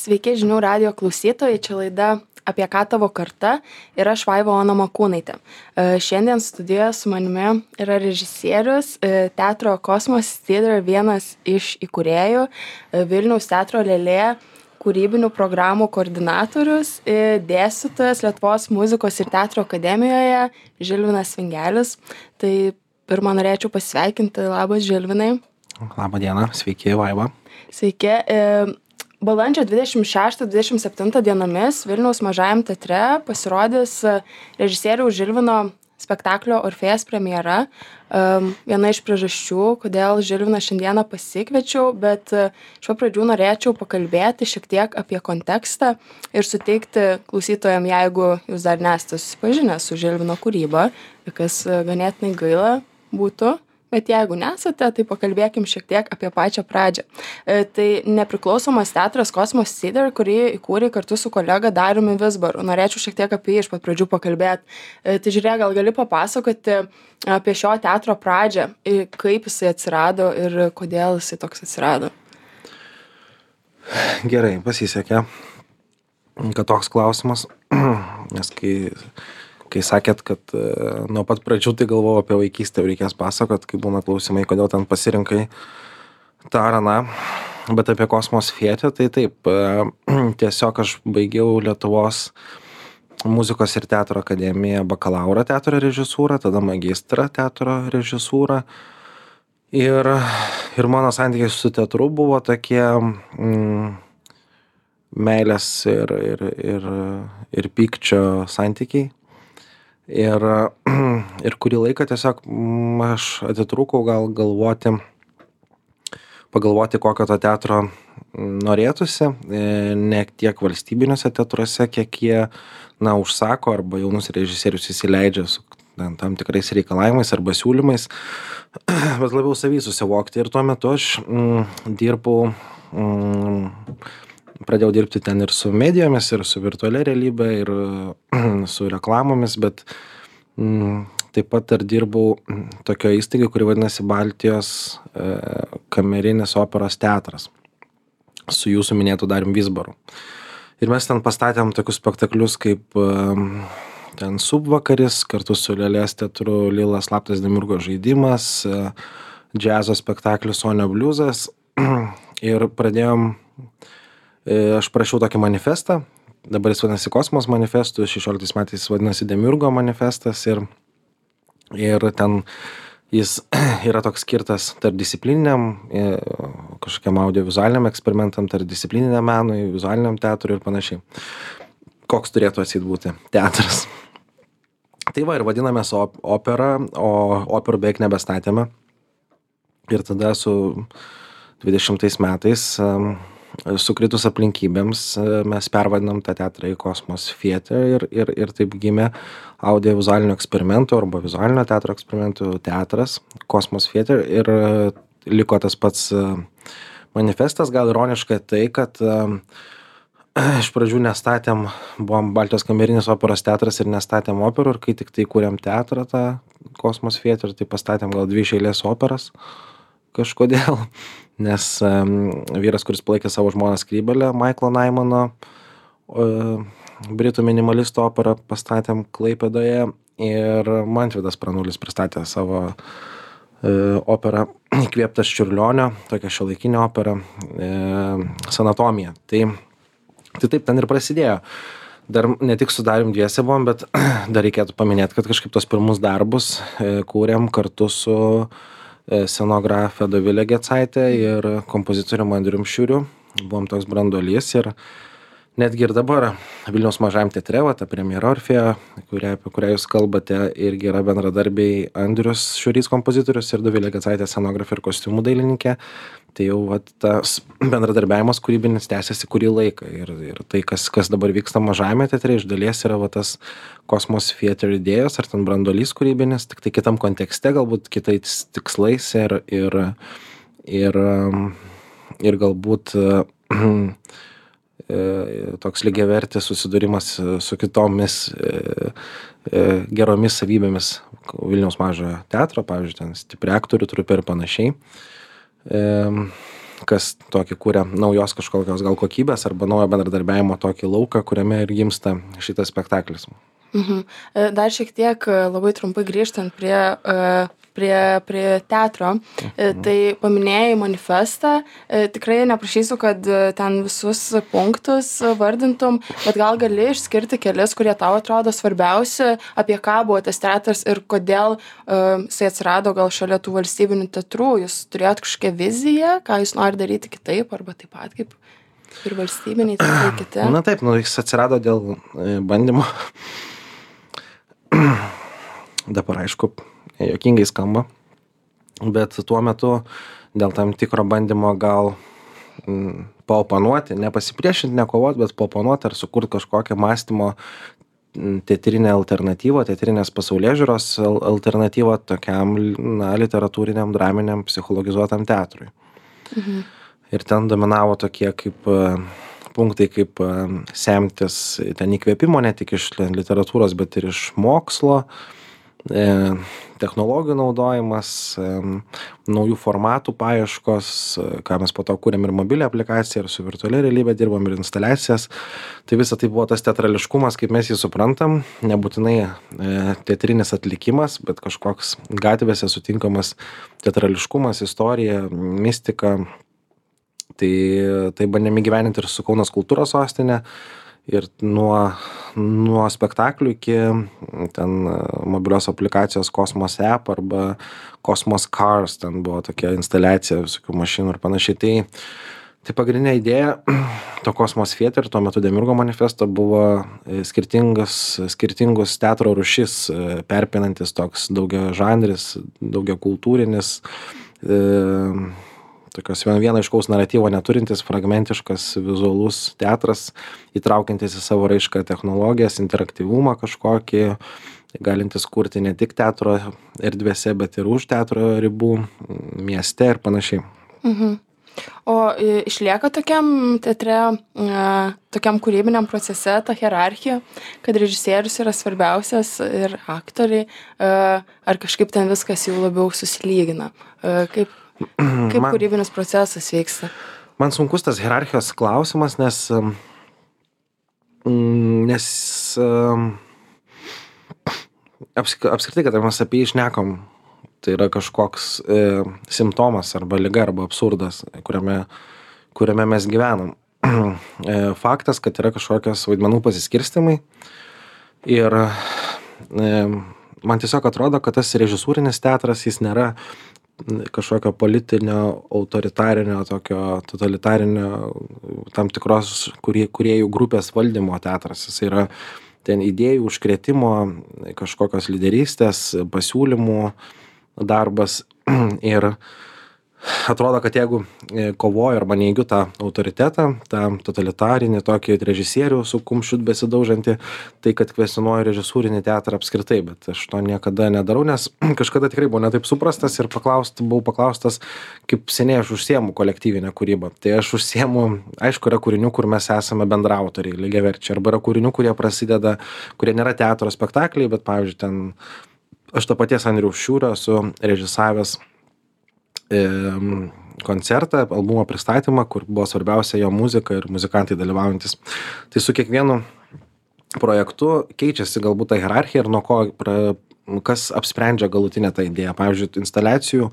Sveiki žinių radijo klausytojai, čia laida Apie ką tavo karta ir aš Vaiva Ona Makūnaitė. Šiandien studijoje su manimi yra režisierius, teatro Kosmos Theatre vienas iš įkūrėjų, Vilniaus teatro Lėlė kūrybinių programų koordinatorius, dėstytojas Lietuvos muzikos ir teatro akademijoje Žilvinas Vingelis. Tai pirmą norėčiau pasveikinti. Labas, Žilvinai. Labą dieną, sveiki, Vaiva. Sveiki. Balandžio 26-27 dienomis Vilniaus Mažajam teatre pasirodys režisieriaus Žilvino spektaklio Orfėjas premjera. Viena iš priežasčių, kodėl Žilviną šiandieną pasikviečiau, bet iš pradžių norėčiau pakalbėti šiek tiek apie kontekstą ir suteikti klausytojam, jeigu jūs dar nesate susipažinę su Žilvino kūryba, kas ganėtinai gaila būtų. Bet jeigu nesate, tai pakalbėkim šiek tiek apie pačią pradžią. Tai nepriklausomas teatras Kosmos Theatre, kurį įkūrė kartu su kolega Dariumi Vizbaru. Norėčiau šiek tiek apie jį iš pat pradžių pakalbėti. Tai žiūrėk, gal gali papasakoti apie šio teatro pradžią, kaip jisai atsirado ir kodėl jisai toks atsirado. Gerai, pasisekė, kad toks klausimas, nes kai sakėt, kad nuo pat pradžių tai galvojau apie vaikystę, reikės pasakot, kai būna klausimai, kodėl ten pasirinkai tą ar aną, bet apie Kosmos Theatre, tai taip, tiesiog aš baigiau Lietuvos muzikos ir teatro akademiją bakalauro teatro režisūrą, tada magistrą teatro režisūrą ir mano santykiai su teatru buvo tokie meilės ir pykčio santykiai. Ir kurį laiką tiesiog aš atitrūkau gal pagalvoti, kokio to teatro norėtųsi, ne tiek valstybiniuose teatruose, kiek jie, užsako arba jaunus režisierius įsileidžia su tam tikrais reikalavimais arba siūlymais, bet labiau savy susivokti. Ir tuo metu aš pradėjau dirbti ten ir su medijomis, ir su virtualia realybė, ir su reklamomis, bet taip pat ir dirbau tokio įstaigai, kuri vadinasi Baltijos kamerinis operos teatras su jūsų minėtu Dariumi Vizbaru. Ir mes ten pastatėm tokius spektaklius kaip ten Subvakaris, kartu su Lėlės teatru Lilas slaptas Demiurgo žaidimas, džiazo spektaklis Sonio bliuzas. Ir aš parašiau tokį manifestą, dabar jis vadinasi Kosmos manifestų, 16 metais vadinasi Demiurgo manifestas ir ten jis yra toks skirtas tarpdisciplininiam, kažkokiam audiovizualiniam eksperimentam, tarpdisciplininiam menui, vizualiniam teatrui ir panašiai. Koks turėtų atseit būti teatras. Tai va ir vadinamės opera, o operų beveik nebestatėme. Ir tada su 20 metais sukritus aplinkybėms mes pervadinam tą teatrą į Kosmos Theatre ir taip gimė audiovizualinio eksperimento arba vizualinio teatro eksperimentų teatras Kosmos Theatre ir liko tas pats manifestas. Gal ironiška tai, kad iš pradžių nestatėm, buvom Baltijos kamerinis operos teatras ir nestatėm operų ir kai tik tai kūrėm teatrą tą Kosmos Theatre, tai pastatėm gal 2 iš eilės operas kažkodėl. Nes vyras, kuris palaikė savo žmoną Skrybėlę, Maiklo Naimano britų minimalistų operą pastatėm Klaipėdoje ir Mantvydas Pranulis pristatė savo operą įkvėptas Čiurlionio, tokią šiuolaikinę operą Sanatomija. Tai taip ten ir prasidėjo. Dar ne tik su Darium dviese buvom, bet dar reikėtų paminėti, kad kažkaip tos pirmus darbus kūrėm kartu su scenografė Dovilė Gecaitė ir kompozitorium Andrium Šiuriu. Buvom toks branduolys ir netgi ir dabar Vilniaus Mažajam teatre, ta premjera Orfėjo, apie kurią jūs kalbate, irgi yra bendradarbiai Andrius Šiurys kompozitorius ir Dovilė Gecaitė scenografė ir kostiumų dailininkė. Tai jau tas bendradarbiavimas kūrybinis tęsiasi kurį laiką ir tai, kas dabar vyksta Mažajame teatre, iš dalies yra tas Kosmos Theatre idėjos ar ten branduolys kūrybinis, tik tai kitam kontekste, galbūt kitais tikslais ir galbūt toks lygiavertis susidūrimas su kitomis geromis savybėmis Vilniaus Mažojo teatro, pavyzdžiui, ten stipri aktorių trupė ir panašiai. kas tokį kuria naujos kažkokios gal kokybės arba naujo bendradarbiavimo tokį lauką, kuriame ir gimsta šitas spektaklis. Dar šiek tiek labai trumpai grįžtant prie teatro, tai paminėjai manifestą, tikrai neprašysiu, kad ten visus punktus vardintum, bet gal gali išskirti kelis, kurie tau atrodo svarbiausi, apie ką buvo tas teatras ir kodėl jisai atsirado gal šalia tų valstybinių teatrų, jūs turėjot kažkokią viziją, ką jūs nori daryti kitaip arba taip pat kaip ir valstybiniai teatrai kiti? Na taip, jis atsirado dėl bandymo. Dabar aišku, juokingai skamba, bet tuo metu dėl tam tikro bandymo gal paoponuoti, nepasipriešinti, nekovoti, bet paoponuoti ar sukurti kažkokią mąstymo teatrinę alternatyvą, teatrinės pasaulėžiūros alternatyvą tokiam literatūriniam, draminiam, psichologizuotam teatrui. Ir ten dominavo tokie kaip punktai, kaip semtis ten įkvėpimo ne tik iš literatūros, bet ir iš mokslo, technologijų naudojimas, naujų formatų paieškos, ką mes po to kūrėm ir mobilią aplikaciją, ir su virtualia realybė dirbam, ir instaliacijas. Tai visa tai buvo tas teatrališkumas, kaip mes jį suprantam, nebūtinai teatrinis atlikimas, bet kažkoks gatvėse sutinkamas teatrališkumas, istorija, mistika. Tai bandėme gyveninti ir su Kaunas kultūros sostinė, ir nuo spektaklių iki ten mobilios aplikacijos Cosmos App arba Cosmos Cars, ten buvo tokia instaliacija visokių mašinų ir panašiai. Tai pagrindinė idėja to Cosmos Theater, tuo metu Demiurgo manifesto, buvo skirtingus teatro rūšis, perpinantis toks daugia žanris, daugia kultūrinis, tokios vieno aiškaus naratyvo neturintis, fragmentiškas, vizualus teatras, įtraukiantis į savo raišką technologijas, interaktyvumą kažkokį, galintis kurti ne tik teatro erdvėse, bet ir už teatro ribų, mieste ir panašiai. O išlieka tokiam teatre, tokiam kūrybiniam procese ta hierarchija, kad režisierius yra svarbiausias ir aktoriai, ar kažkaip ten viskas jau labiau susilygina? Kaip kūrybinis procesas vyksta? Man sunkus tas hierarchijos klausimas, nes apskritai, kad mes apie jį šnekam, tai yra kažkoks simptomas arba liga arba absurdas, kuriame mes gyvenam. Faktas, kad yra kažkokios vaidmenų pasiskirstimai ir man tiesiog atrodo, kad tas režisūrinis teatras, jis nėra kažkokio politinio, autoritarinio, tokio totalitarinio, tam tikros kūrėjų grupės valdymo teatras. Jis yra ten idėjų užkrėtimo, kažkokios lyderystės, pasiūlymų darbas ir atrodo, kad jeigu kovoju arba neigiu tą autoritetą, tą totalitarinį tokį režisierių su kumščiu besidaužantį, tai kad kvestionuoju režisūrinį teatrą apskritai, bet aš to niekada nedarau, nes kažkada tikrai buvau netaip suprastas ir buvau paklaustas, kaip seniai aš užsiemu kolektyvinę kūrybą. Tai aš užsiemu, aišku, yra kūrinių, kur mes esame bendraautoriai, lygiaverčiai, arba yra kūrinių, kurie prasideda, kurie nėra teatro spektakliai, bet pavyzdžiui, ten aš to paties Andriaus Šiūrio esu režisavęs koncertą, albumo pristatymą, kur buvo svarbiausia jo muzika ir muzikantai dalyvaujantis. Tai su kiekvienu projektu keičiasi galbūt ta hierarchija ir nuo ko, kas apsprendžia galutinę tą idėją. Pavyzdžiui, instaliacijų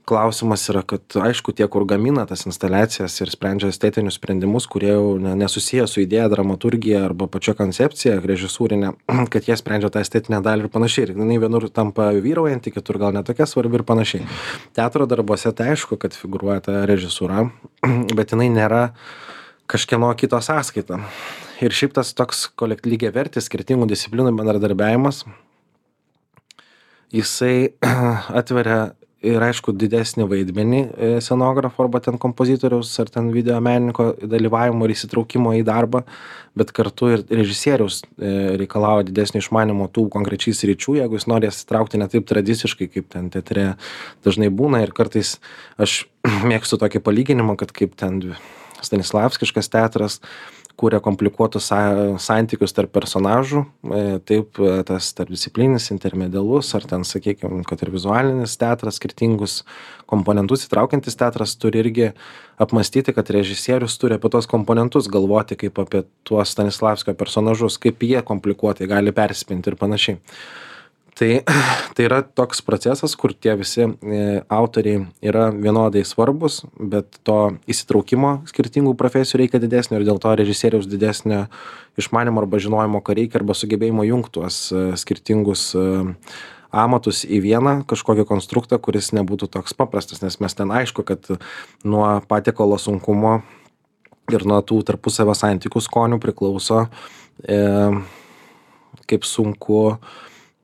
klausimas yra, kad aišku, tie, kur gamina tas instaliacijas ir sprendžia estetinius sprendimus, kurie jau nesusiję su idėja, dramaturgija arba pačia koncepcija režisūrinė, kad jie sprendžia tą estetinę dalį ir panašiai. Ir jinai vienur tampa vyraujanti, kitur gal netokia svarbi ir panašiai. Teatro darbuose tai aišku, kad figūruoja ta režisūra, bet jinai nėra kažkieno kito sąskaita. Ir šiaip tas toks lygiavertis skirtingų disciplinų bendradarbiavimas, jisai atveria ir aišku didesnį vaidmenį scenografo arba ten kompozitoriaus ar ten video menininko dalyvavimo ir įsitraukimo į darbą, bet kartu ir režisieriaus reikalauja didesnio išmanimo tų konkrečiai sričių, jeigu jis nori įsitraukti ne taip tradiciškai, kaip ten teatre dažnai būna. Ir kartais aš mėgstu tokį palyginimą, kad kaip ten stanislavskiškas teatras, kuria komplikuotus santykius tarp personažų, taip tas tarpdisciplininis, intermedialus, ar ten, sakykime, kad ir vizualinis teatras, skirtingus komponentus įtraukiantis teatras turi irgi apmastyti, kad režisierius turi apie tos komponentus galvoti kaip apie tuos Stanislavskio personažus, kaip jie komplikuotai gali persipinti ir panašiai. Tai yra toks procesas, kur tie visi autoriai yra vienodai svarbus, bet to įsitraukimo skirtingų profesijų reikia didesnio ir dėl to režisieriaus didesnio išmanimo arba žinojimo, ką reikia, arba sugebėjimo jungti tuos skirtingus amatus į vieną kažkokį konstruktą, kuris nebūtų toks paprastas, nes mes ten aišku, kad nuo patiekalo sunkumo ir nuo tų tarpusavio santykių skonių priklauso,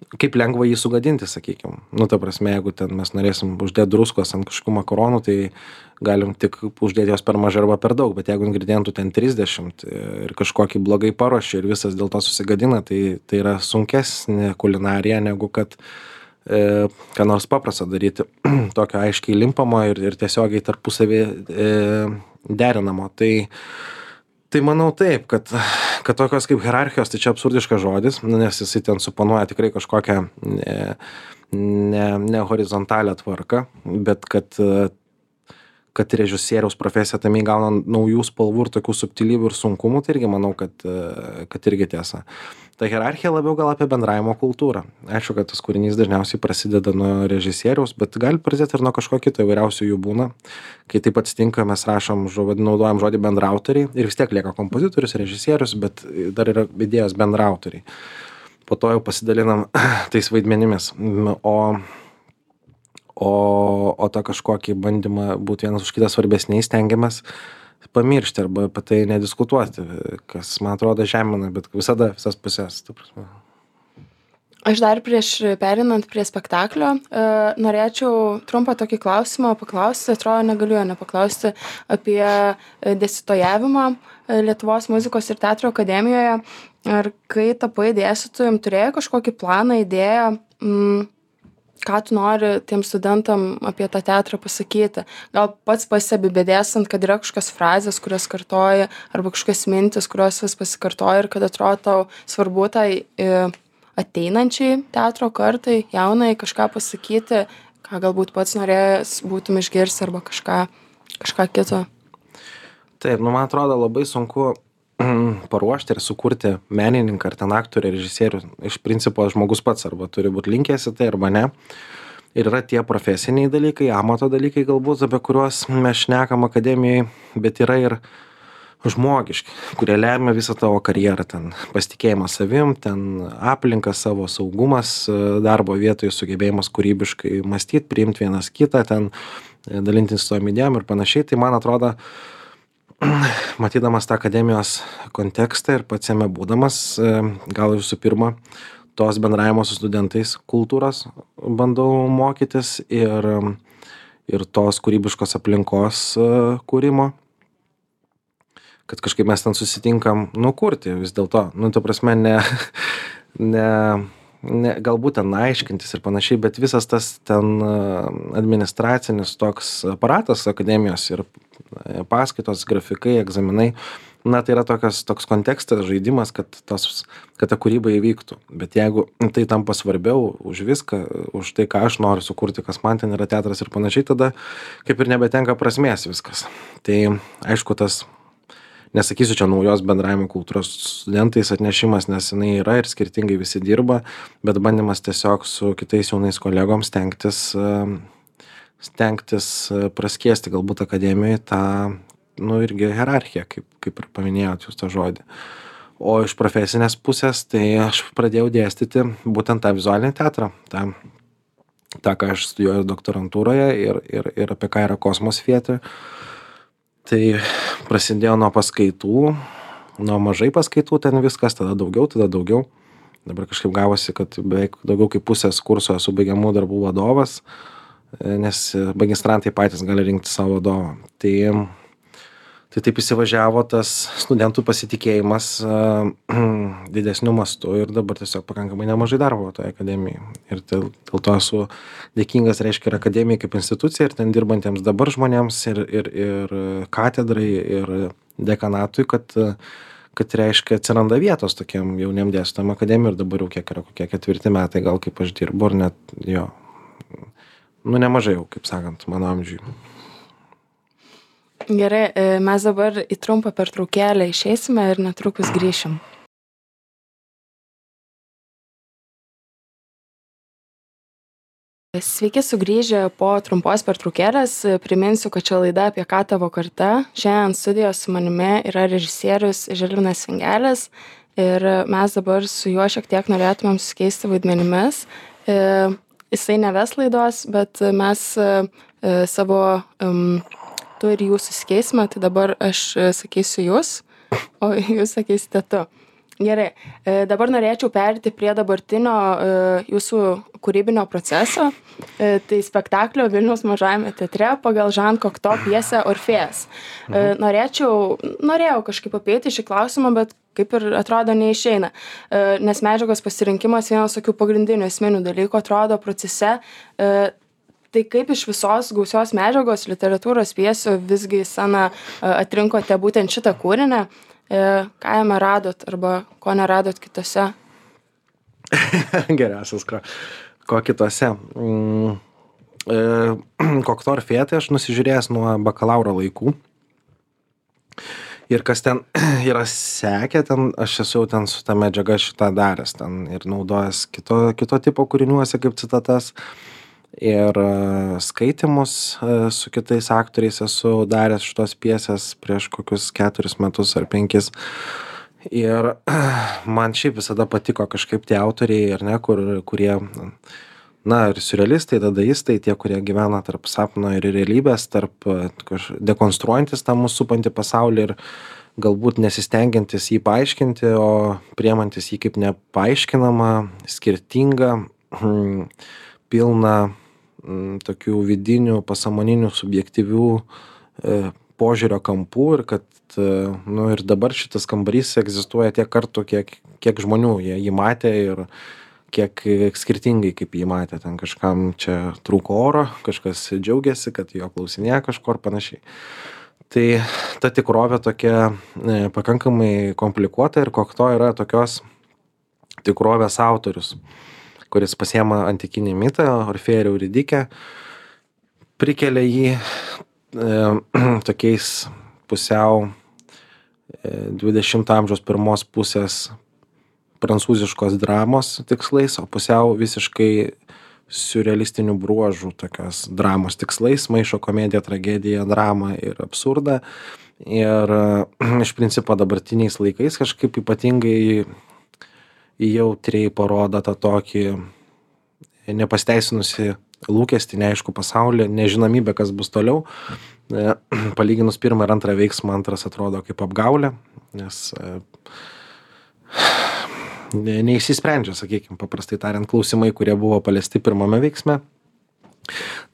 kaip lengva jį sugadinti, sakykime. Nu, ta prasme, jeigu ten mes norėsim uždėti druskos ant kažkokių makaronų, tai galim tik uždėti jos per mažai arba per daug, bet jeigu ingredientų ten 30 ir kažkokį blogai paruošia ir visas dėl to susigadina, tai yra sunkesnė kulinarija negu kad ką nors paprasta daryti tokio aiškiai limpamo ir tiesiogiai tarpusavį derinamo. Tai manau taip, kad tokios kaip hierarchijos, tai čia absurdiškas žodis, nes jisai ten suponuoja tikrai kažkokią ne horizontalią tvarką, bet kad režisieriaus profesija tame įgauna naujų spalvų ir tokių subtilybių ir sunkumų, tai irgi manau, kad irgi tiesa. Ta hierarchija labiau gal apie bendravimo kultūrą. Aišku, kad tas kūrinys dažniausiai prasideda nuo režisieriaus, bet gali prasidėti ir nuo kažko kito, įvairiausių jų būna. Kai taip atsitinka, mes naudojam žodį bendrautoriai ir vis tiek lieka kompozitorius, režisierius, bet dar yra idėjos bendrautoriai. Po to jau pasidalinam tais vaidmenimis. O tą kažkokį bandymą būti vienas už kitą svarbesniais stengiamės pamiršti arba apie tai nediskutuoti, kas, man atrodo, žemina, bet visada visas pusės. Aš dar prieš perinant prie spektaklio norėčiau trumpą tokį klausimą paklausti, atrodo, negaliu jo nepaklausti, apie dėstytojavimą Lietuvos muzikos ir teatro akademijoje. Ar kai tapai dėstytojum, turėjai kažkokį planą, idėją, ką tu nori tiem studentam apie tą teatrą pasakyti? Gal pats pastebi bedėstant, kad yra kažkokios frazės, kurias kartoji, arba kažkokios mintis, kurios vis pasikartoja ir kad atrodo tau svarbu tai ateinančiai teatro kartai, jaunai kažką pasakyti, ką galbūt pats norėjęs būtum išgirsti arba kažką kito. Taip, man atrodo labai sunku paruošti ir sukurti menininką ar ten aktorių, režisierių. Iš principo žmogus pats arba turi būti linkęs į tai arba ne. Ir yra tie profesiniai dalykai, amato dalykai galbūt, apie kuriuos mes šnekam akademijai, bet yra ir žmogiški, kurie lemia visą tavo karjerą. Ten pasitikėjimas savim, ten aplinkas savo, saugumas darbo vietoje, sugebėjimas kūrybiškai mąstyti, priimti vienas kitą, ten dalintis tom idėjom ir panašiai. Tai man atrodo, matydamas tą akademijos kontekstą ir pats jame būdamas, gal visų pirma, tos bendravimo su studentais kultūros bandau mokytis ir tos kūrybiškos aplinkos kūrimo, kad kažkaip mes ten susitinkam kurti vis dėlto. Ta prasme, ne galbūt ten aiškintis ir panašiai, bet visas tas ten administracinis toks aparatas akademijos ir paskaitos, grafikai, egzaminai, tai yra toks kontekstas, žaidimas, kad ta kūryba įvyktų. Bet jeigu tai tampa svarbiau už viską, už tai, ką aš noriu sukurti, kas man ten yra teatras ir panašiai, tada kaip ir nebetenka prasmės viskas. Tai aišku, tas, nesakysiu čia naujos bendravimo kultūros studentais atnešimas, nes jinai yra ir skirtingai visi dirba, bet bandymas tiesiog su kitais jaunais kolegom stengtis praskiesti galbūt akademijoje tą, irgi hierarchiją, kaip ir paminėjot jūs tą žodį. O iš profesinės pusės, tai aš pradėjau dėstyti būtent tą vizualinį teatrą, tą, ką aš studijuoju doktorantūroje ir apie ką yra Kosmos Theatre. Tai prasidėjo nuo paskaitų, nuo mažai paskaitų ten viskas, tada daugiau. Dabar kažkaip gavosi, kad beveik daugiau kaip pusės kurso esu baigiamų darbų vadovas, nes magistrantai patys gali rinkti savo vadovą. Tai taip įsivažiavo tas studentų pasitikėjimas didesniu mastu ir dabar tiesiog pakankamai nemažai darbo toje akademijoje. Ir dėl to esu dėkingas, reiškia, ir akademijai kaip institucija, ir ten dirbantiems dabar žmonėms, ir katedrai, ir dekanatui, kad reiškia atsiranda vietos tokiem jauniem dėstytojam akademijoj ir dabar jau kiek yra, kokie 4 metai gal kaip aš dirbu, ir net jo, nu nemažai jau, kaip sakant, mano amžiui. Gerai, mes dabar į trumpą pertraukėlę išeisime ir netrukus grįšim. Sveiki sugrįžę po trumpos pertraukėlės. Priminsiu, kad čia laida Apie ką tavo karta. Šiandien studijos su manimi yra režisierius Žilvinas Vingelis ir mes dabar su juo šiek tiek norėtumėm susikeisti vaidmenimis. Jisai neves laidos, bet mes savo tu ir jūs susikeisime, tai dabar aš sakysiu jūs, o jūs sakysite tu. Gerai, dabar norėčiau pereiti prie dabartinio jūsų kūrybinio proceso. Tai spektaklio Vilniaus mažajame teatre pagal Žan Kokto pjesę Orfėjas. Norėjau kažkaip apeiti šį klausimą, bet kaip ir atrodo neišeina. Nes medžiagos pasirinkimas vienas tokių pagrindinių esminių dalykų atrodo procese. Tai kaip iš visos gausios medžiagos literatūros pjesių visgi į sceną atrinkote būtent šitą kūrinį? Ką jame radot arba ko neradot kitose? Geriausias, ko kitose. Kokto Orfėją tai aš nusižiūrėjęs nuo bakalauro laikų. Ir kas ten yra sekę, ten aš esu jau ten su ta medžiaga šitą daręs ten ir naudojęs kito tipo kūriniuose kaip citatas. Ir skaitimus su kitais aktoriais esu daręs šitos pjesės prieš kokius 4 metus ar 5. Ir man šiaip visada patiko kažkaip tie autoriai, ar ne, kurie, na, ir siurrealistai, dadaistai, tie, kurie gyvena tarp sapno ir realybės, tarp dekonstruojantis tą mūsų supantį pasaulį ir galbūt nesistengiantis jį paaiškinti, o priemantis jį kaip nepaaiškinamą, skirtingą, pilną tokių vidinių, pasąmoninių, subjektyvių požiūrio kampų ir kad, nu, ir dabar šitas kambarys egzistuoja tiek kartų, kiek žmonių jį matė ir kiek skirtingai kaip jį matė. Ten kažkam čia trūko oro, kažkas džiaugiasi, kad jo klausinėja kažko ir panašiai. Tai ta tikrovė tokia pakankamai komplikuota ir Kokto yra tokios tikrovės autorius, kuris pasiema antikinį mitą, Orfėją ir Euridikę, prikelia jį tokiais pusiau 20 amžiaus pirmos pusės prancūziškos dramos tikslais, o pusiau visiškai siurrealistinių bruožų tokios dramos tikslais, maišo komediją, tragediją, dramą ir absurdą. Ir iš principo dabartiniais laikais kažkaip ypatingai jautriai parodo tą tokį nepasteisinusi lūkestį, neaišku pasaulį, nežinomybę, kas bus toliau. Palyginus pirmą ir antrą veiksmą, antras atrodo kaip apgaulė, nes neįsisprendžia, sakykime, paprastai tariant, klausimai, kurie buvo paliesti pirmame veiksme.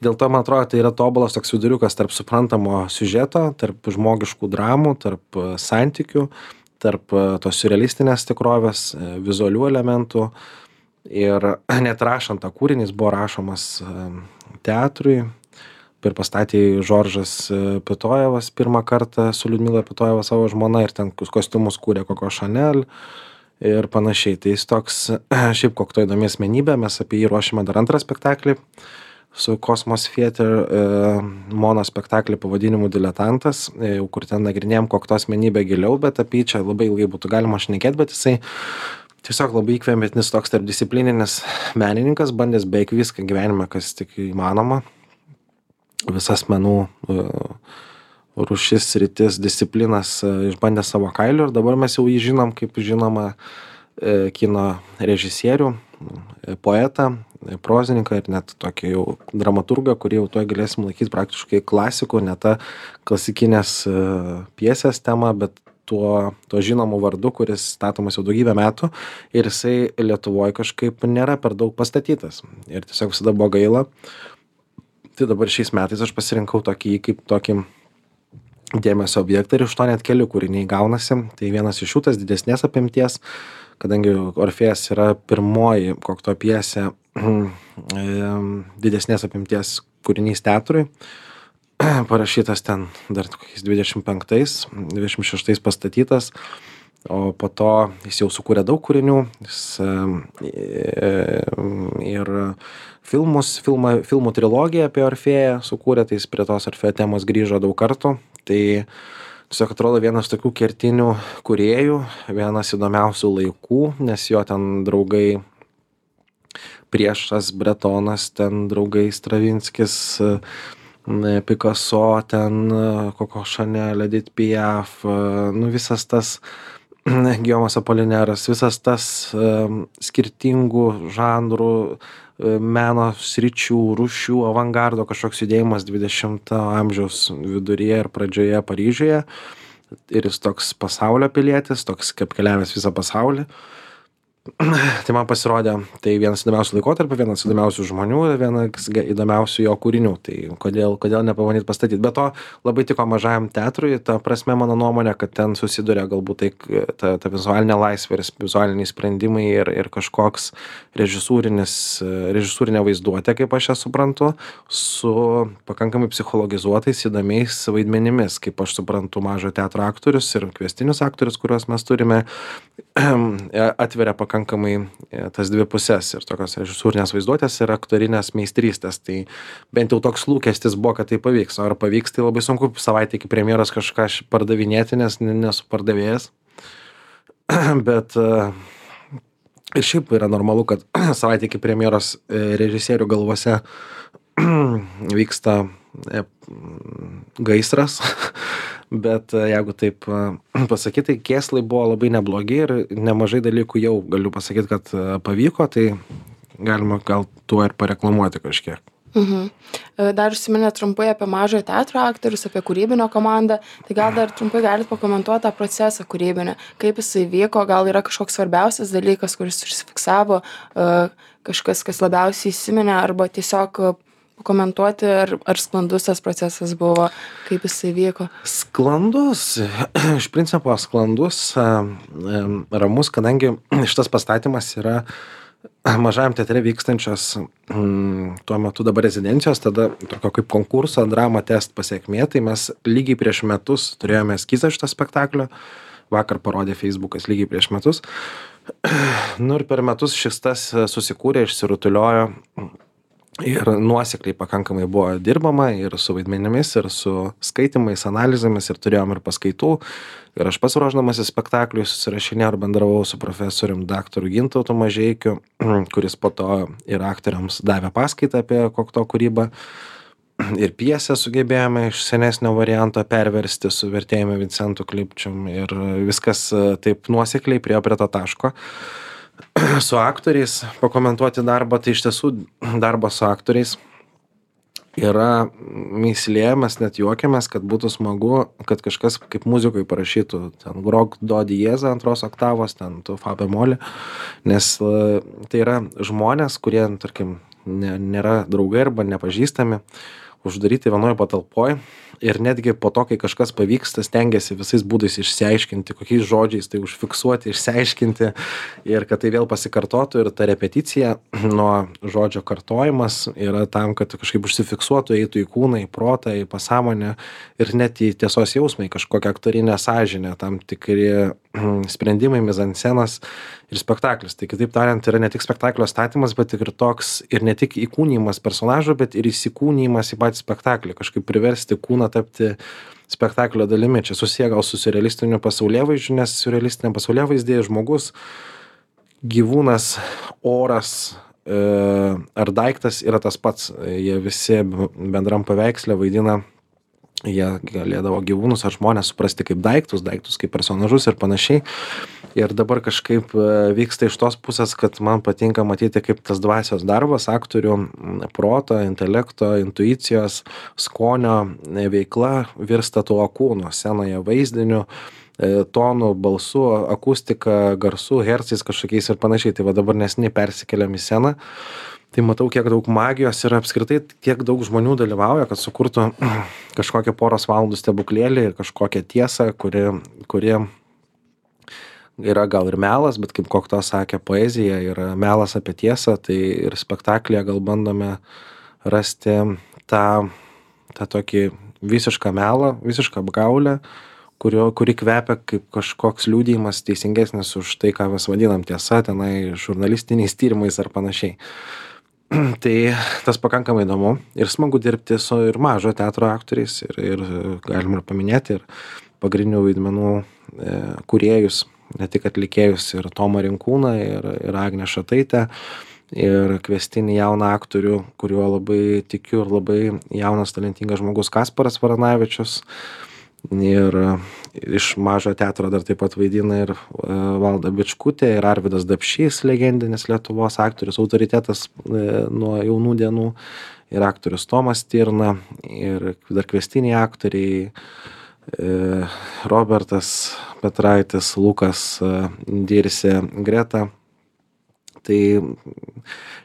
Dėl to, man atrodo, tai yra tobulas toks viduriukas tarp suprantamo siužeto, tarp žmogiškų dramų, tarp santykių, tarp tos siurrealistinės tikrovės, vizualių elementų. Ir net rašant tą kūrinį, jis buvo rašomas teatrui. Ir pastatė Žoržas Pitojevas pirmą kartą su Liudmila Pitojeva savo žmona ir ten kostiumus kūrė Coco Chanel ir panašiai. Tai jis toks, šiaip Kokto įdomi asmenybė, mes apie jį ruošime dar antrą spektaklį su Cosmos Theater mono spektaklį pavadinimu Diletantas, kur ten nagrinėjom Kokto asmenybę giliau, bet apie jį čia labai ilgai būtų galima šnekėti, bet jisai tiesiog labai įkvepiantis toks tarpdisciplininis menininkas, bandęs beveik viską gyvenime, kas tik įmanoma, visas menų rūšis, sritis, disciplinas išbandė savo kailiu ir dabar mes jau jį žinom kaip žinoma kino režisierių, poetą, prozininką ir net tokį jau dramaturgą, kurį jau tuoj galėsim laikyti praktiškai klasikų, ne ta klasikinės pjesės tema, bet tuo žinomu vardu, kuris statomas jau daugybę metų ir jisai Lietuvoje kažkaip nėra per daug pastatytas. Ir tiesiog visada buvo gaila. Tai dabar šiais metais aš pasirinkau tokį kaip tokį dėmesio objektą ir iš to net keli kūriniai gaunasi. Tai vienas iš jų tas didesnės apimties, kadangi Orfėjas yra pirmoji Kokto pjesė didesnės apimties kūrinys teatrui, parašytas ten dar kokiais 25-26 pastatytas, o po to jis jau sukūrė daug kūrinių, jis ir filmų trilogiją apie Orfėją sukūrė, tai jis prie tos Orfėjo temos grįžo daug kartų. Tai tiesiog atrodo vienas tokių kertinių kūrėjų, vienas įdomiausių laikų, nes jo ten draugai Priešas, Bretonas, ten draugai Stravinskis, Picasso, ten Coco Chanel, Edith Piaf, nu visas tas Gijomas Apolineras, visas tas skirtingų žanrų, meno sričių, rūšių, avangardo kažkoks judėjimas 20 amžiaus viduryje ir pradžioje Paryžiuje. Ir jis toks pasaulio pilietis, toks kaip keliavęs visą pasaulį. Tai man pasirodė, tai vienas įdomiausių laikotarpių, vienas įdomiausių žmonių ir vienas įdomiausių jo kūrinių. Tai kodėl nepabandyti pastatyti. Be to labai tiko Mažajam teatrui, ta prasme mano nuomonė, kad ten susiduria galbūt ta vizualinė laisvė ir vizualiniai sprendimai ir kažkoks režisūrinė vaizduotė, kaip aš ją suprantu, su pakankamai psichologizuotais įdomiais vaidmenimis, kaip aš suprantu Mažojo teatro aktorius ir kviestinius aktorius, kuriuos mes turime, atveria pakankamai tas dvi pusės ir tokios režisūrinės vaizduotės ir aktorinės meistrystės. Tai bent jau toks lūkestis buvo, kad tai pavyks. O ar pavyks, tai labai sunku savaitę iki premjeros kažką pardavinėti, nes nesu pardavėjas. Bet ir šiaip yra normalu, kad savaitę iki premjeros režisierių galvose vyksta gaisras. Bet jeigu taip pasakyti, tai kėslai buvo labai neblogi ir nemažai dalykų jau galiu pasakyti, kad pavyko, tai galima gal tuo ir pareklamuoti kažkiek. Dar užsiminėt trumpai apie Mažojo teatro aktorius, apie kūrybinio komandą, tai gal dar trumpai galite pakomentuoti tą procesą kūrybinį, kaip jisai vyko, gal yra kažkoks svarbiausias dalykas, kuris užsifiksavo, kažkas, kas labiausiai įsiminė, arba tiesiog pakomentuoti, ar sklandus tas procesas buvo, kaip jisai vyko? Sklandus, iš principo sklandus, ramus, kadangi šitas pastatymas yra Mažajam teatre vykstančios tuo metu dabar rezidencijos, tada tokio kaip konkurso drama test pasiekmė, tai mes lygiai prieš metus turėjome eskizą šito spektaklio, vakar parodė Facebookas lygiai prieš metus, nu ir per metus šis tas susikūrė, išsirutuliojo ir nuosekliai pakankamai buvo dirbama ir su vaidmenimis, ir su skaitimais, analizėmis, ir turėjom ir paskaitų. Ir aš pats ruošdamasis spektakliui susirašinėjau ir bendravau su profesorium daktaru Gintautu Mažeikiu, kuris po to ir aktoriams davė paskaitą apie kokto kūrybą. Ir pjesę sugebėjome iš senesnio varianto perversti su vertėjumi Vincentu Klipčium ir viskas taip nuosekliai priėjo prie to taško. Su aktoriais pakomentuoti darbą, tai iš tiesų darbas su aktoriais yra mįslė, mes net juokiamės, kad būtų smagu, kad kažkas kaip muzikoj parašytų ten grok do diezą antros oktavos, ten tu fa bemolį, nes tai yra žmonės, kurie, tarkim, nėra draugai arba nepažįstami, uždaryti vienoje patalpoje ir netgi po to, kai kažkas pavyksta, stengiasi visais būdais išsiaiškinti, kokiais žodžiais tai užfiksuoti, išsiaiškinti ir kad tai vėl pasikartotų ir ta repeticija nuo žodžio kartojimas yra tam, kad kažkaip užsifiksuotų, eitų į kūną, į protą, į pasąmonę ir net į tiesos jausmą, į kažkokią aktorinę sąžinę, tam tikri sprendimai, mizanscenas ir spektaklis. Tai kitaip tariant, yra ne tik spektaklio statymas, bet ir toks, ir ne tik įkūnijimas personažo, bet ir įsikūnijimas į patį spektaklį, kažkaip priversti kūną tapti spektaklio dalimi. Čia susiję gal su siurrealistiniu pasaulėvaizdžiu, nes siurrealistinė pasaulėvaizdėje žmogus, gyvūnas, oras ar daiktas yra tas pats. Jie visi bendram paveiksle vaidina, jie galėdavo gyvūnus ar žmonės suprasti kaip daiktus kaip personažus ir panašiai. Ir dabar kažkaip vyksta iš tos pusės, kad man patinka matyti, kaip tas dvasios darbas, aktorių proto, intelekto, intuicijos, skonio veikla virsta tuo kūnu, scenoje vaizdiniu, tonų, balsų, akustika, garsų, hercais kažkokiais ir panašiai. Tai va dabar nesiniai persikeliam į sceną. Tai matau, kiek daug magijos ir apskritai tiek daug žmonių dalyvauja, kad sukurtų kažkokią poros valandų stebuklėlį ir kažkokią tiesą, kuri yra gal ir melas, bet kaip Kokto sakė, poezija yra melas apie tiesą, tai ir spektaklyje gal bandome rasti tą tokį visišką melą, visišką apgaulę, kuri kvepia kaip kažkoks liudijimas teisingesnis už tai, ką mes vadinam tiesa, tenai žurnalistiniais tyrimais ar panašiai. Tai tas pakankamai įdomu ir smagu dirbti su ir mažo teatro aktoriais ir galim ir paminėti ir pagrindinių vaidmenų kūrėjus, ne tik atlikėjus, ir Tomą Rinkūną, ir Agnę Šataitę, ir kviestinį jauną aktorių, kuriuo labai tikiu, ir labai jaunas talentingas žmogus Kasparas Varanavičius. Ir iš mažo teatro dar taip pat vaidina ir Valda Bičkutė, ir Arvydas Dapšys, legendinis Lietuvos aktorius, autoritetas nuo jaunų dienų, ir aktorius Tomas Stirna, ir dar kviestiniai aktoriai Robertas Petraitis, Lukas Dirsė, Greta. Tai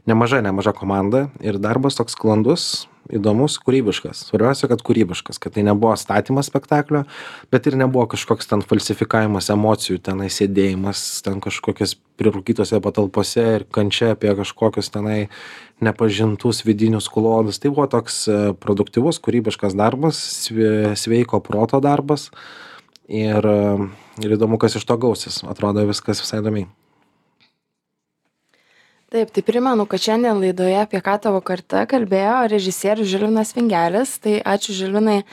nemaža komanda ir darbas toks sklandus, įdomus, kūrybiškas. Svarbiausia, kad kūrybiškas, kad tai nebuvo statymas spektaklio, bet ir nebuvo kažkoks ten falsifikavimas emocijų, tenai sėdėjimas, ten kažkokias prirūkytose patalpose ir kančia apie kažkokius tenai nepažintus vidinius klodus. Tai buvo toks produktyvus, kūrybiškas darbas, sveiko proto darbas ir įdomu, kas iš to gausis. Atrodo viskas visai įdomiai. Taip, tai primenu, kad šiandien laidoje Apie ką tavo karta kalbėjo režisierius Žilvinas Vingelis. Tai ačiū, Žilvinai.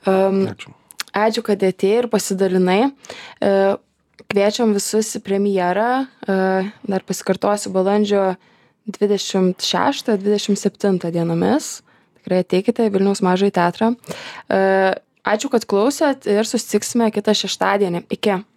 Ačiū, kad atėjai ir pasidalinai. Kviečiam visus į premjerą. Dar pasikartosiu, balandžio 26-27 dienomis. Tikrai ateikite į Vilniaus mažąjį teatrą. Ačiū, kad klausėt ir susitiksime kitą šeštadienį. Iki.